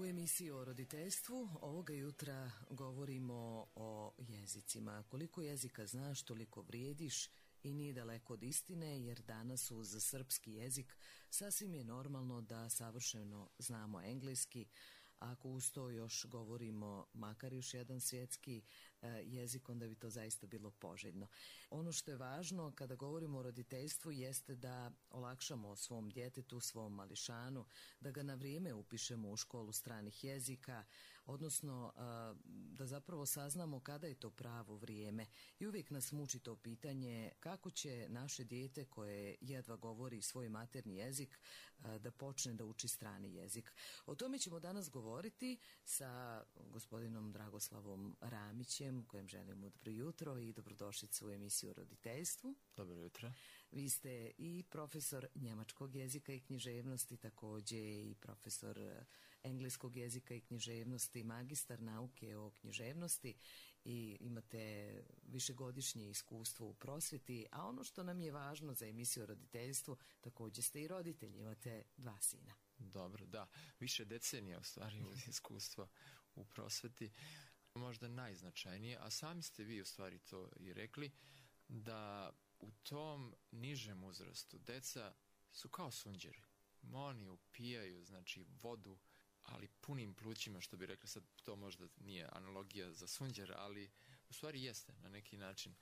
U emisiji o roditeljstvu ovoga jutra govorimo o jezicima. Koliko jezika znaš, toliko vrijediš i nije daleko od istine, jer danas uz srpski jezik sasvim je normalno da savršeno znamo engleski. Ako uz to još govorimo makar još jedan svjetski jezik, onda bi to zaista bilo poželjno. Ono što je važno kada govorimo o roditeljstvu jeste da olakšamo svom djetetu, svom mališanu, da ga na vrijeme upišemo u školu stranih jezika, odnosno da zapravo saznamo kada je to pravo vrijeme. I uvijek nas muči to pitanje kako će naše dijete koje jedva govori svoj maternji jezik da počne da uči strani jezik. O tome ćemo danas govoriti sa gospodinom Dragoslavom Ramićem, kojem želimo dobro jutro i dobrodošlicu u emisiju o roditeljstvu. Dobro jutro. Vi ste i profesor njemačkog jezika i književnosti, također i profesor engleskog jezika i književnosti, magistar nauke o književnosti i imate višegodišnje iskustvo u prosvjeti, a ono što nam je važno za emisiju o roditeljstvu, također ste i roditelji, imate 2 sina. Dobro, da. Više decenija u stvari iskustva u prosveti. Možda najznačajnije, a sami ste vi u stvari to i rekli, da u tom nižem uzrastu deca su kao sunđeri. Oni upijaju, znači, vodu, ali punim plućima, što bi rekli, sad to možda nije analogija za sunđer, ali u stvari jeste na neki način.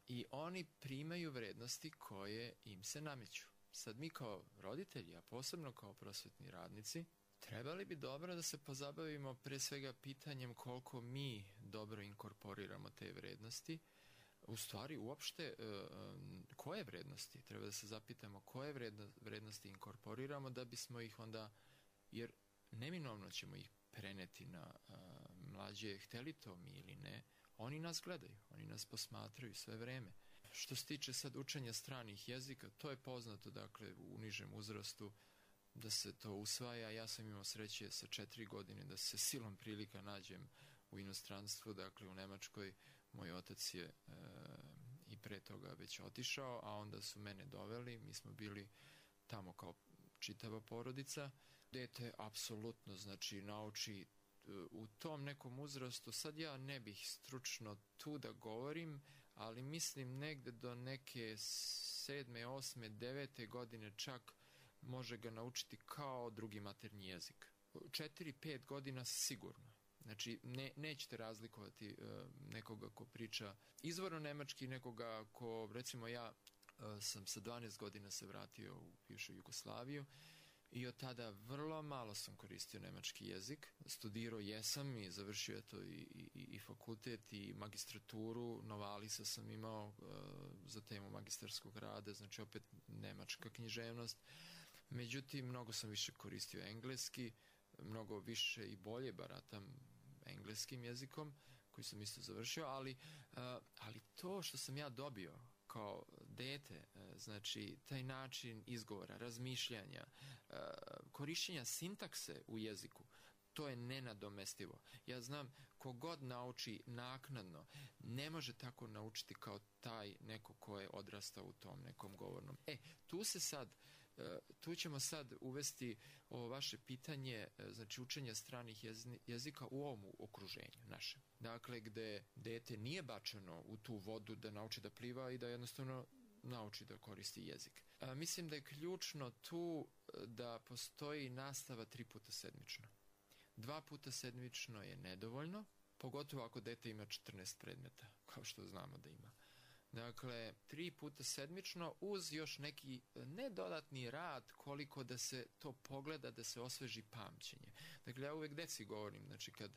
I oni primaju vrednosti koje im se nameću. Sad mi kao roditelji, a posebno kao prosvetni radnici, trebali bi dobro da se pozabavimo pre svega pitanjem koliko mi dobro inkorporiramo te vrednosti. U stvari, uopšte, koje vrednosti? Treba da se zapitamo koje vrednosti inkorporiramo da bismo ih onda, jer neminovno ćemo ih preneti na mlađe, hteli to mi ili ne, oni nas gledaju, oni nas posmatraju sve vreme. Što se tiče sad učenja stranih jezika, to je poznato, dakle, u nižem uzrastu da se to usvaja. Ja sam imao sreće sa 4 godine da se silom prilika nađem u inostranstvu, dakle u Nemačkoj. Moj otac je i pre toga već otišao, a onda su mene doveli, mi smo bili tamo kao čitava porodica. Dete apsolutno, znači, nauči u tom nekom uzrastu, sad ja ne bih stručno tu da govorim, ali mislim negde do neke 7., 8., 9. godine čak može ga naučiti kao drugi maternji jezik. 4-5 godina sigurno. Znači, nećete razlikovati nekoga ko priča izvorno nemački, nekoga ko, recimo ja sam sa 12 godina se vratio u bivšu Jugoslaviju i od tada vrlo malo sam koristio nemački jezik. Studirao jesam i završio to i fakultet i magistraturu. Novalisa sam imao za temu magistarskog rada, znači opet nemačka književnost. Međutim, mnogo sam više koristio engleski, mnogo više i bolje baratam engleskim jezikom, koji sam isto završio, ali to što sam ja dobio kao dete, znači taj način izgovora, razmišljanja, korišćenja sintakse u jeziku, to je nenadomestivo. Ja znam, kogod nauči naknadno, ne može tako naučiti kao taj neko ko je odrastao u tom nekom govornom. Tu ćemo sad uvesti ovo vaše pitanje, znači učenja stranih jezika u ovom okruženju našem. Dakle, gde dete nije bačeno u tu vodu da nauči da pliva i da jednostavno nauči da koristi jezik. Mislim da je ključno tu da postoji nastava 3 puta sedmično. 2 puta sedmično je nedovoljno, pogotovo ako dete ima 14 predmeta, kao što znamo da ima. Dakle, 3 puta sedmično uz još neki nedodatni rad koliko da se to pogleda, da se osveži pamćenje. Dakle, ja uvek deci govorim, znači kad,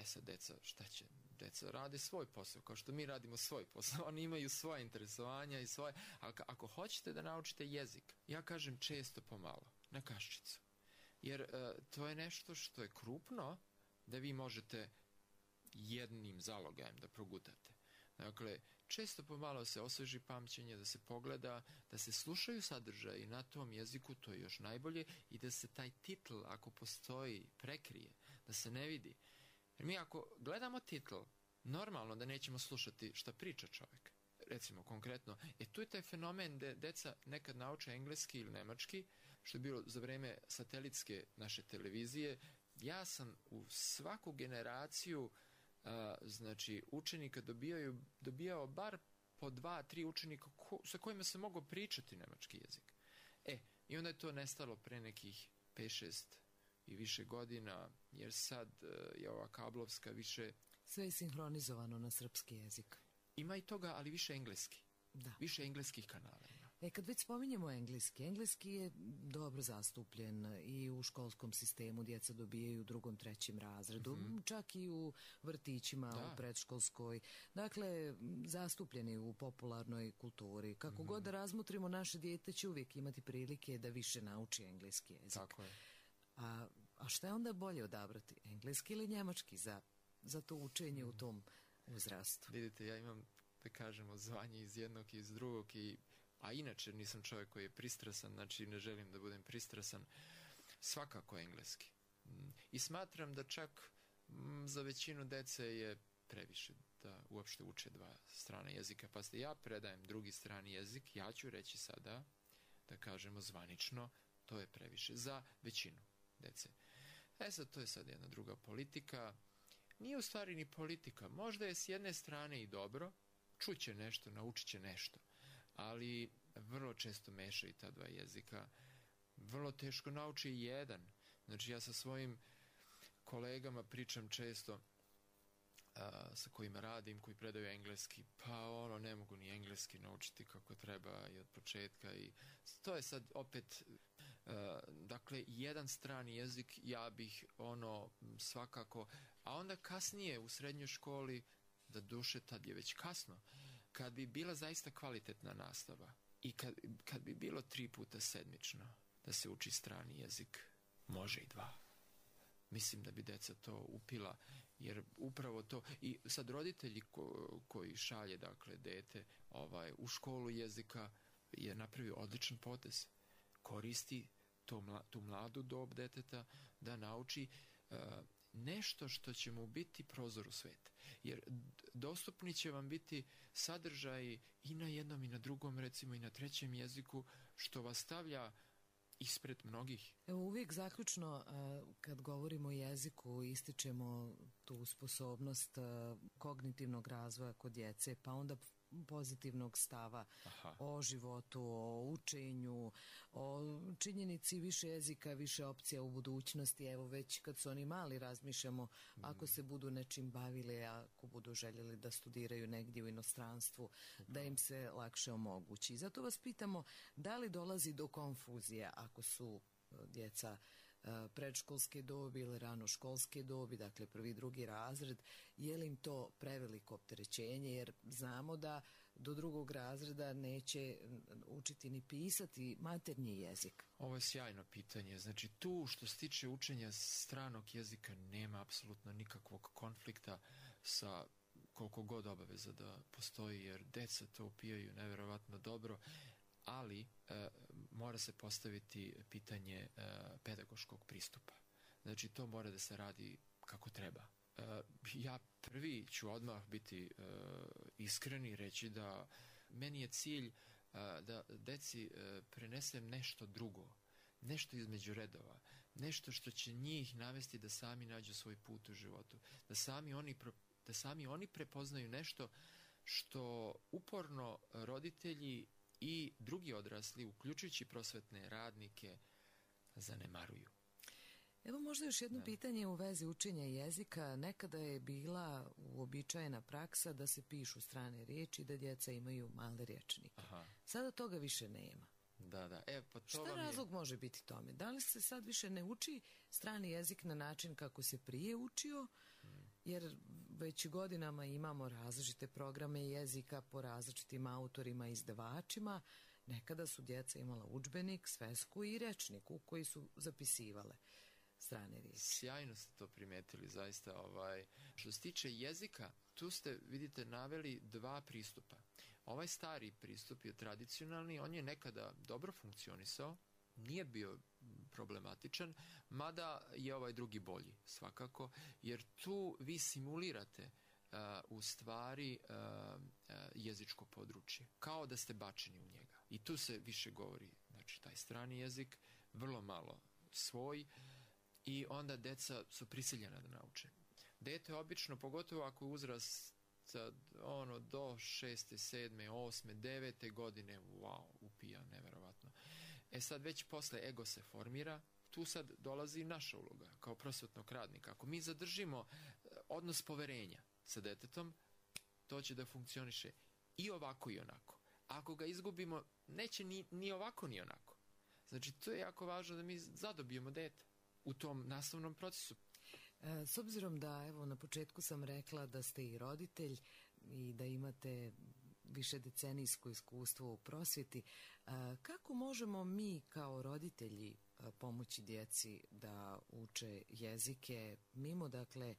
sad deca, šta će? Deca rade svoj posao, kao što mi radimo svoj posao. Oni imaju svoje interesovanja i svoje, ako hoćete da naučite jezik, ja kažem često pomalo, na kaščicu. Jer to je nešto što je krupno da vi možete jednim zalogajem da progutate. Dakle, često pomalo se osveži pamćenje, da se pogleda, da se slušaju sadržaji na tom jeziku, to je još najbolje, i da se taj titl, ako postoji, prekrije, da se ne vidi. Jer mi ako gledamo titl, normalno da nećemo slušati šta priča čovjek. Recimo, konkretno, tu je taj fenomen da deca nekad nauče engleski ili nemački što je bilo za vreme satelitske naše televizije, ja sam u svaku generaciju znači učenika dobijao bar po 2-3 učenika sa kojima se mogao pričati nemački jezik. I onda je to nestalo pre nekih 5-6 i više godina, jer sad je ova kablovska više... Sve je sinhronizovano na srpski jezik. Ima i toga, ali više engleski. Da. Više engleskih kanala ima. Kad već spominjemo engleski je dobro zastupljen i u školskom sistemu, djeca dobijaju u 2., 3. razredu, čak i u vrtićima, u predškolskoj. Dakle, zastupljeni u popularnoj kulturi. Kako god da razmotrimo, naše dijete će uvijek imati prilike da više nauči engleski jezik. Tako je. A šta je onda bolje odabrati? Engleski ili njemački za to učenje u tom uzrastu? Vidite, ja imam, da kažemo, zvanje iz jednog i iz drugog, a inače nisam čovjek koji je pristrasan, znači ne želim da budem pristrasan, svakako engleski. I smatram da čak za većinu dece je previše da uopšte uče 2 strane jezika. Pa ja predajem 2. strani jezik, ja ću reći sada, da kažemo zvanično, to je previše za većinu dece. Sad, to je sad jedna druga politika. Nije u stvari ni politika. Možda je s jedne strane i dobro, čuće nešto, naučit će nešto, ali vrlo često mešaju ta 2 jezika. Vrlo teško nauči jedan. Znači, ja sa svojim kolegama pričam često, sa kojima radim, koji predaju engleski, pa ne mogu ni engleski naučiti kako treba i od početka. I to je sad opet, dakle, jedan strani jezik ja bih svakako, a onda kasnije u srednjoj školi, da duše tad je već kasno, kad bi bila zaista kvalitetna nastava i kad bi bilo 3 puta sedmično da se uči strani jezik, može i 2. Mislim da bi deca to upila, jer upravo to, i sad roditelji koji šalje, dakle, dete u školu jezika je napravio odličan potez. Koristi tu mladu dob deteta da nauči nešto što će mu biti prozor u svet. Jer dostupni će vam biti sadržaji i na jednom i na drugom, recimo i na 3. jeziku, što vas stavlja ispred mnogih. Evo, uvijek zaključno, kad govorimo o jeziku, ističemo tu sposobnost kognitivnog razvoja kod djece, pa onda pozitivnog stava o životu, o učenju, o činjenici više jezika, više opcija u budućnosti. Evo, već kad su oni mali, razmišljamo ako se budu nečim bavili, ako budu željeli da studiraju negdje u inostranstvu, da im se lakše omogući. Zato vas pitamo, da li dolazi do konfuzije ako su djeca predškolske dobi ili ranoškolske dobi, dakle 1., 2. razred, je li im to preveliko opterećenje, jer znamo da do 2. razreda neće učiti ni pisati maternji jezik? Ovo je sjajno pitanje. Znači, tu što se tiče učenja stranog jezika nema apsolutno nikakvog konflikta sa koliko god obaveza da postoji, jer deca to upijaju nevjerovatno dobro, ali mora se postaviti pitanje pedagoškog pristupa. Znači, to mora da se radi kako treba. Ja prvi ću odmah biti iskren i reći da meni je cilj da deci prenesem nešto drugo, nešto između redova, nešto što će njih navesti da sami nađu svoj put u životu, da sami oni prepoznaju nešto što uporno roditelji i drugi odrasli, uključujući prosvetne radnike, zanemaruju. Evo možda još jedno pitanje u vezi učenja jezika. Nekada je bila uobičajena praksa da se pišu strane riječi, da djeca imaju male rječnike. Sada toga više nema. Da. Pa to šta razlog može biti tome? Da li se sad više ne uči strani jezik na način kako se prije učio? Jer već godinama imamo različite programe jezika po različitim autorima i izdavačima. Nekada su djeca imala udžbenik, svesku i rečnik u koji su zapisivale strane riječi. Sjajno ste to primetili, zaista. Što se tiče jezika, tu ste, vidite, naveli 2 pristupa. Ovaj stari pristup je tradicionalni, on je nekada dobro funkcionisao, nije bio problematičan, mada je ovaj drugi bolji, svakako, jer tu vi simulirate u stvari jezičko područje, kao da ste bačeni u njega. I tu se više govori, znači, taj strani jezik, vrlo malo svoj i onda deca su prisiljena da nauče. Dete obično, pogotovo ako je uzrast do 6., 7., 8., 9. godine, wow, upija, neverovatno. Sad već posle ego se formira, tu sad dolazi naša uloga kao prosvetnog radnika. Ako mi zadržimo odnos poverenja sa detetom, to će da funkcioniše i ovako i onako. Ako ga izgubimo, neće ni ovako ni onako. Znači, to je jako važno da mi zadobijemo dete u tom nastavnom procesu. S obzirom da, evo, na početku sam rekla da ste i roditelj i da imate višedecenijsko iskustvo u prosvjeti, kako možemo mi kao roditelji pomoći djeci da uče jezike, mimo, dakle,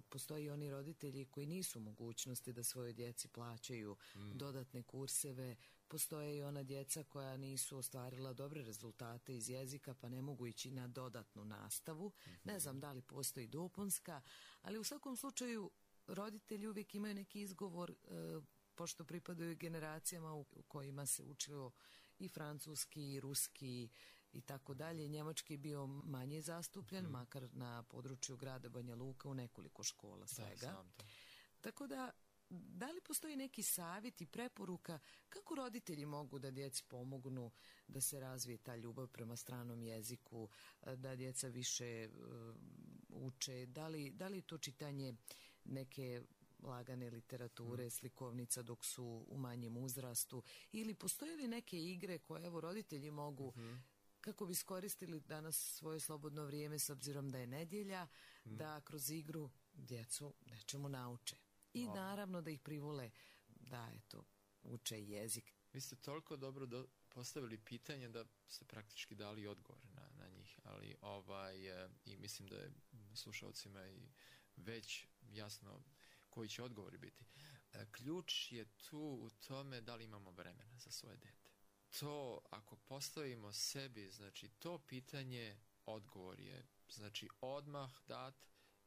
postoji oni roditelji koji nisu u mogućnosti da svojoj djeci plaćaju dodatne kurseve, postoje i ona djeca koja nisu ostvarila dobre rezultate iz jezika pa ne mogu ići na dodatnu nastavu. Ne znam da li postoji dopunska, ali u svakom slučaju roditelji uvijek imaju neki izgovor, pošto pripadaju generacijama u kojima se učilo i francuski, i ruski i tako dalje. Njemački je bio manje zastupljen, makar na području grada Banja Luka u nekoliko škola svega. Tako da li postoji neki savjet i preporuka kako roditelji mogu da djeci pomognu da se razvije ta ljubav prema stranom jeziku, da djeca više uče, da li to čitanje neke lagane literature, slikovnica dok su u manjem uzrastu, ili postoje li neke igre koje, evo, roditelji mogu kako bi iskoristili danas svoje slobodno vrijeme, s obzirom da je nedjelja, da kroz igru djecu nečemu nauče. I naravno da ih privole da, eto, uče jezik. Vi ste toliko dobro postavili pitanje da ste praktički dali odgovor na njih, ali i mislim da je slušalcima i već jasno koji će odgovori biti. Ključ je tu u tome da li imamo vremena za svoje dete. To, ako postavimo sebi, znači to pitanje, odgovor je, znači, odmah dat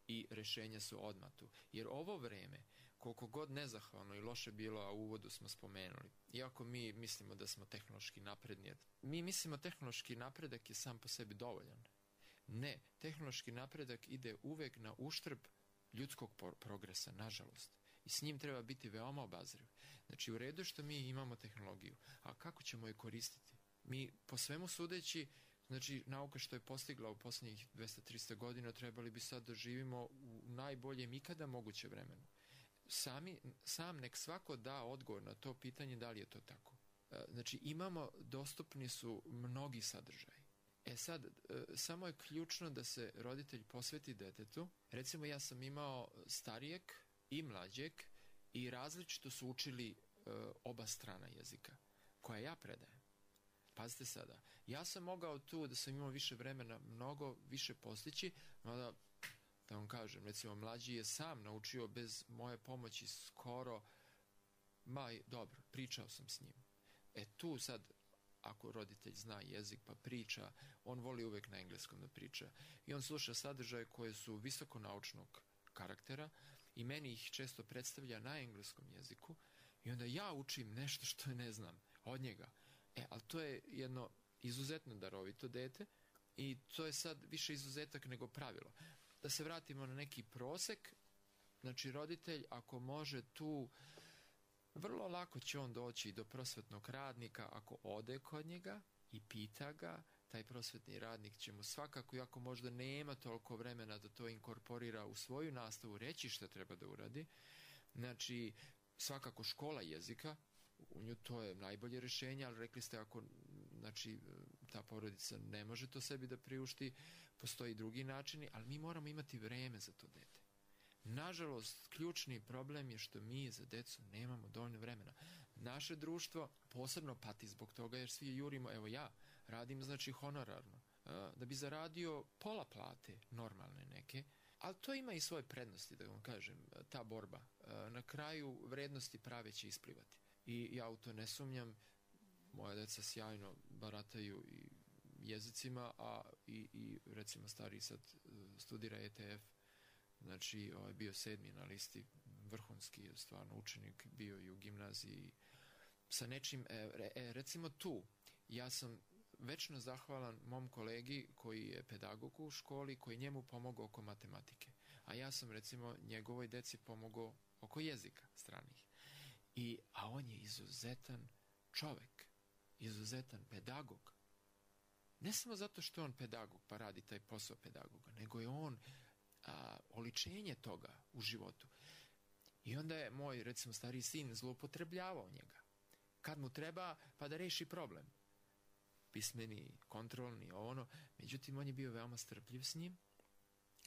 i rješenja su odmah tu. Jer ovo vreme, koliko god nezahvalno i loše bilo, a u uvodu smo spomenuli, iako mi mislimo da smo tehnološki napredni, mi mislimo tehnološki napredak je sam po sebi dovoljan. Ne, tehnološki napredak ide uvek na uštrb ljudskog progresa, nažalost. I s njim treba biti veoma obazriv. Znači, u redu što mi imamo tehnologiju, a kako ćemo je koristiti? Mi, po svemu sudeći, znači, nauka što je postigla u posljednjih 200-300 godina, trebali bi sad da živimo u najboljem ikada moguće vremenu. Sam nek svako da odgovor na to pitanje da li je to tako. Znači, dostupni su mnogi sadržaji. Sad, samo je ključno da se roditelj posveti detetu. Recimo, ja sam imao starijeg i mlađeg i različito su učili oba strana jezika, koja ja predajem. Pazite sada, ja sam mogao tu, da sam imao više vremena, mnogo više postići, mada, da vam kažem, recimo, mlađi je sam naučio bez moje pomoći skoro, dobro, pričao sam s njim. Tu sad, ako roditelj zna jezik pa priča, on voli uvek na engleskom da priča. I on sluša sadržaje koje su visoko naučnog karaktera i meni ih često predstavlja na engleskom jeziku i onda ja učim nešto što ne znam od njega. Ali to je jedno izuzetno darovito dete i to je sad više izuzetak nego pravilo. Da se vratimo na neki prosek, znači roditelj ako može tu, vrlo lako će on doći do prosvetnog radnika ako ode kod njega i pita ga. Taj prosvetni radnik će mu svakako, iako možda nema toliko vremena da to inkorporira u svoju nastavu, reći šta treba da uradi. Znači, svakako škola jezika, u nju to je najbolje rješenje, ali rekli ste ako, znači, ta porodica ne može to sebi da priušti, postoji drugi načini, ali mi moramo imati vreme za to dete. Nažalost, ključni problem je što mi za decu nemamo dovoljno vremena. Naše društvo posebno pati zbog toga jer svi jurimo, evo ja radim, znači, honorarno, da bi zaradio pola plate, normalne neke, ali to ima i svoje prednosti, da vam kažem, ta borba. Na kraju vrednosti prave će isplivati. I ja u to ne sumnjam, moja deca sjajno barataju i jezicima, a i recimo stariji sad studira ETF, znači bio 7. na listi, vrhunski stvarno učenik, bio i u gimnaziji sa nečim, recimo tu, ja sam večno zahvalan mom kolegi koji je pedagog u školi, koji njemu pomogao oko matematike. A ja sam, recimo, njegovoj deci pomogao oko jezika stranih. A on je izuzetan čovek, izuzetan pedagog. Ne samo zato što je on pedagog pa radi taj posao pedagoga, nego je on oličenje toga u životu. I onda je moj, recimo, stariji sin zloupotrebljavao njega. Kad mu treba, pa da reši problem. Pismeni, kontrolni, ono. Međutim, on je bio veoma strpljiv s njim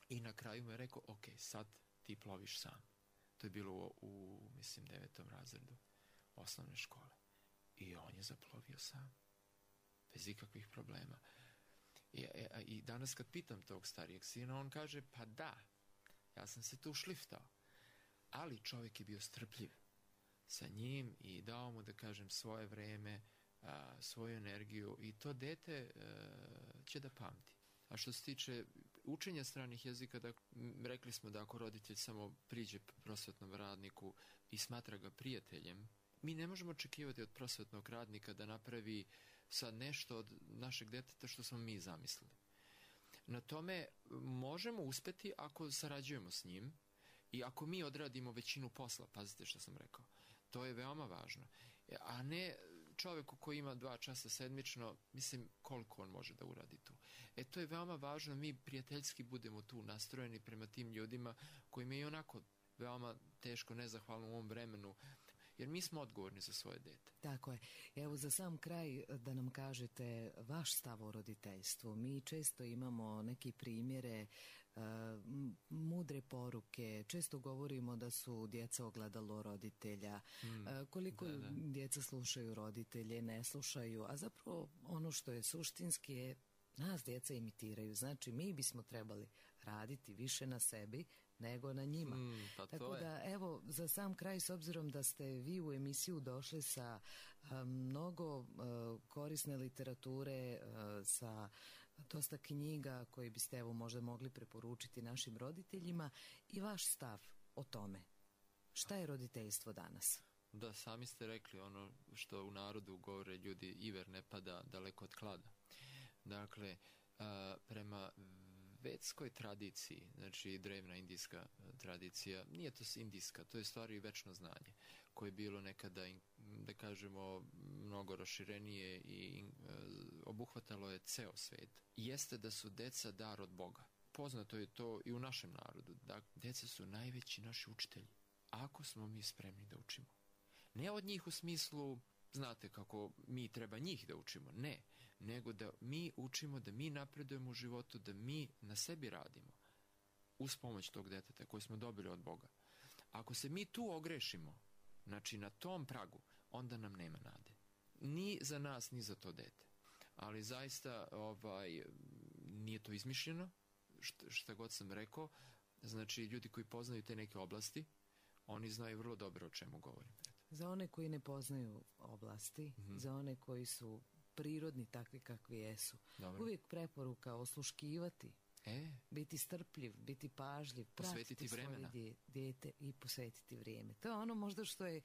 i na kraju mu je rekao, ok, sad ti ploviš sam. To je bilo mislim, 9. razredu osnovne škole. I on je zaplovio sam. Bez ikakvih problema. I danas kad pitam tog starijeg sina, on kaže, pa da, ja sam se tu šliftao. Ali čovjek je bio strpljiv sa njim i dao mu, da kažem, svoje vreme, svoju energiju i to dete će da pamti. A što se tiče učenja stranih jezika, rekli smo da ako roditelj samo priđe prosvetnom radniku i smatra ga prijateljem, mi ne možemo očekivati od prosvetnog radnika da napravi sad nešto od našeg deteta što smo mi zamislili. Na tome možemo uspeti ako sarađujemo s njim i ako mi odradimo većinu posla, pazite što sam rekao. To je veoma važno. A ne čovjeku koji ima 2 časa sedmično, mislim, koliko on može da uradi tu. To je veoma važno, mi prijateljski budemo tu nastrojeni prema tim ljudima kojima je i onako veoma teško, nezahvalno u ovom vremenu, jer mi smo odgovorni za svoje dete. Tako je. Evo za sam kraj da nam kažete vaš stav o roditeljstvu. Mi često imamo neke primjere, mudre poruke, često govorimo da su djeca ogledalo roditelja, koliko djeca slušaju roditelje, ne slušaju, a zapravo ono što je suštinski je nas djeca imitiraju. Znači mi bismo trebali raditi više na sebi nego na njima. Tako da, evo, za sam kraj, s obzirom da ste vi u emisiju došli sa mnogo korisne literature, sa dosta knjiga koje biste, evo, možda mogli preporučiti našim roditeljima i vaš stav o tome. Šta je roditeljstvo danas? Da, sami ste rekli ono što u narodu govore ljudi, iver ne pada daleko od klada. Dakle, prema vedskoj tradiciji, znači drevna indijska tradicija, nije to indijska, to je stvari večno znanje, koje je bilo nekada, da kažemo, mnogo raširenije i obuhvatalo je ceo svet. Jeste da su deca dar od Boga. Poznato je to i u našem narodu. Da, deca su najveći naši učitelji, ako smo mi spremni da učimo. Ne od njih u smislu, znate kako mi treba njih da učimo, ne, nego da mi učimo, da mi napredujemo u životu, da mi na sebi radimo uz pomoć tog deteta koje smo dobili od Boga. Ako se mi tu ogrešimo, znači na tom pragu, onda nam nema nade. Ni za nas, ni za to dete. Ali zaista nije to izmišljeno, šta god sam rekao. Znači ljudi koji poznaju te neke oblasti, oni znaju vrlo dobro o čemu govorim. Za one koji ne poznaju oblasti, za one koji su prirodni takvi kakvi jesu, uvijek preporuka osluškivati, biti strpljiv, biti pažljiv, posvetiti vremena, dijete i posvetiti vrijeme. To je ono možda što je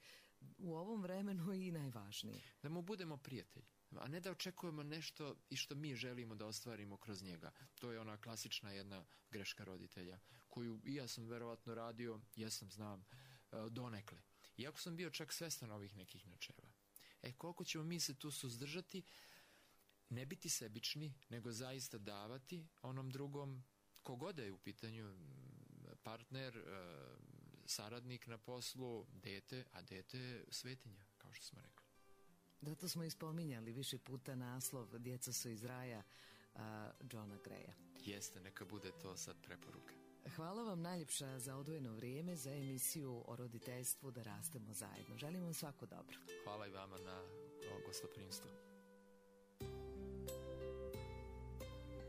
u ovom vremenu i najvažnije. Da mu budemo prijatelji, a ne da očekujemo nešto i što mi želimo da ostvarimo kroz njega. To je ona klasična jedna greška roditelja, koju i ja sam verovatno radio, znam, donekle. Iako sam bio čak svestan ovih nekih načela. Koliko ćemo mi se tu suzdržati, ne biti sebični, nego zaista davati onom drugom, kogoda je u pitanju, partner, saradnik na poslu, dete, a dete je svetinja, kao što smo rekli. Zato smo i spominjali više puta naslov Djeca su iz raja Johna Greya. Jeste, neka bude to sad preporuka. Hvala vam najljepša za odvojeno vrijeme za emisiju o roditeljstvu Da rastemo zajedno. Želim vam svako dobro. Hvala i vama na gostoprimstvu.